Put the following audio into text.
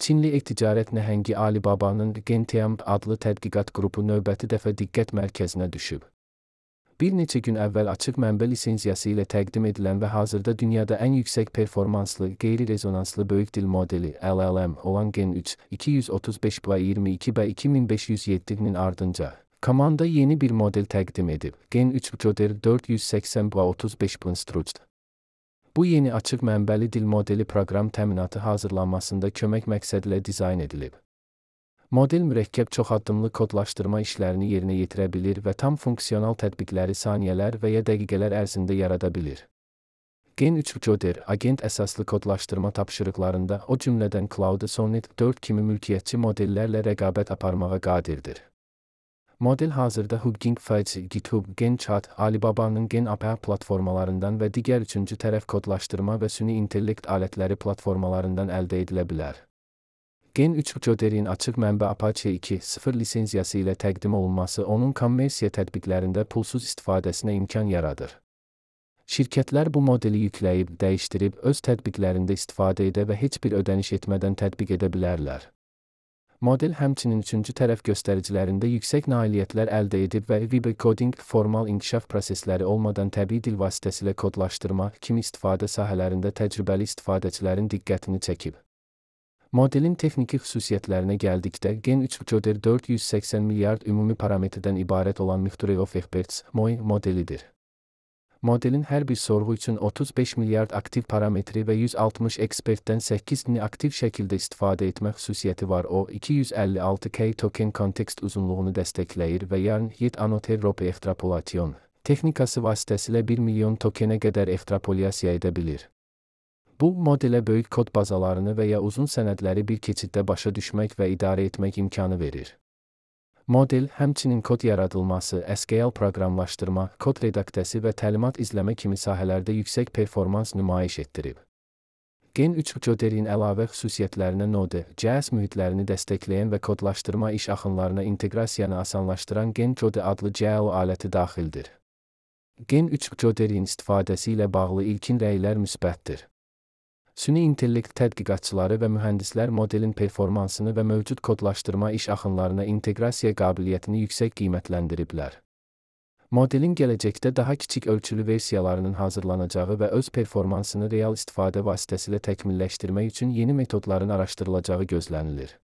Çinli e-ticarət nəhəngi Alibabanın Gentian adlı tədqiqat qrupu növbəti dəfə diqqət mərkəzinə düşüb. Bir neçə gün əvvəl açıq mənbə lisenziyası ilə təqdim edilən və hazırda dünyada ən yüksək performanslı, qeyri-rezonanslı böyük dil modeli LLM olan Gen 3 235/22/2507-nin ardınca komanda yeni bir model təqdim edib. Gen 3 Joder 480/35 Bu yeni açıq mənbəli dil modeli proqram təminatı hazırlanmasında kömək məqsədilə dizayn edilib. Model mürəkkəb çoxaddımlı kodlaşdırma işlərini yerinə yetirə bilir və tam funksional tətbiqləri saniyələr və ya dəqiqələr ərzində yarada bilir. Gen 3 Joder, agent əsaslı kodlaşdırma tapşırıqlarında, o cümlədən Claude Sonnet 4 kimi mülkiyyətçi modellərlə rəqabət aparmağa qadirdir. Model hazırda Hugging Face, GitHub, GenChat, Alibabanın GenAPI platformalarından və digər üçüncü tərəf kodlaşdırma və süni intellekt alətləri platformalarından əldə edilə bilər. Gen 3 Joder'in açıq mənbə Apache 2.0 lisenziyası ilə təqdim olunması onun kommersiya tətbiqlərində pulsuz istifadəsinə imkan yaradır. Şirkətlər bu modeli yükləyib, dəyişdirib, öz tətbiqlərində istifadə edə və heç bir ödəniş etmədən tətbiq edə bilərlər. Model həmçinin üçüncü tərəf göstəricilərində yüksək nailiyyətlər əldə edib və Vibe Coding, formal inkişaf prosesləri olmadan təbii dil vasitəsilə kodlaşdırma kimi istifadə sahələrində təcrübəli istifadəçilərin diqqətini çəkib. Modelin texniki xüsusiyyətlərinə gəldikdə, Gen 3 Joder 480 milyard ümumi parametrdən ibarət olan Mixture of Experts (MOI) modelidir. Modelin hər bir sorğu üçün 35 milyard aktiv parametri və 160 ekspertdən 8-ni aktiv şəkildə istifadə etmə xüsusiyyəti var. O, 256K token kontekst uzunluğunu dəstəkləyir və Yarn-Yet Annotated Rope Extrapolation texnikası vasitəsilə 1 milyon tokenə qədər ekstrapolyasiya edə bilir. Bu, modelə böyük kod bazalarını və ya uzun sənədləri bir keçiddə başa düşmək və idarə etmək imkanı verir. Model, həmçinin kod yaradılması, SQL proqramlaşdırma, kod redaktəsi və təlimat izləmə kimi sahələrdə yüksək performans nümayiş etdirib. Gen 3 Joder'in əlavə xüsusiyyətlərinə Node.js mühitlərini dəstəkləyən və kodlaşdırma iş axınlarına inteqrasiyanı asanlaşdıran GenJode adlı CLO aləti daxildir. Gen 3 Joder'in istifadəsi ilə bağlı ilkin rəylər müsbətdir. Süni intellekt tədqiqatçıları və mühəndislər modelin performansını və mövcud kodlaşdırma iş axınlarına inteqrasiya qabiliyyətini yüksək qiymətləndiriblər. Modelin gələcəkdə daha kiçik ölçülü versiyalarının hazırlanacağı və öz performansını real istifadə vasitəsilə təkmilləşdirmək üçün yeni metodların araşdırılacağı gözlənilir.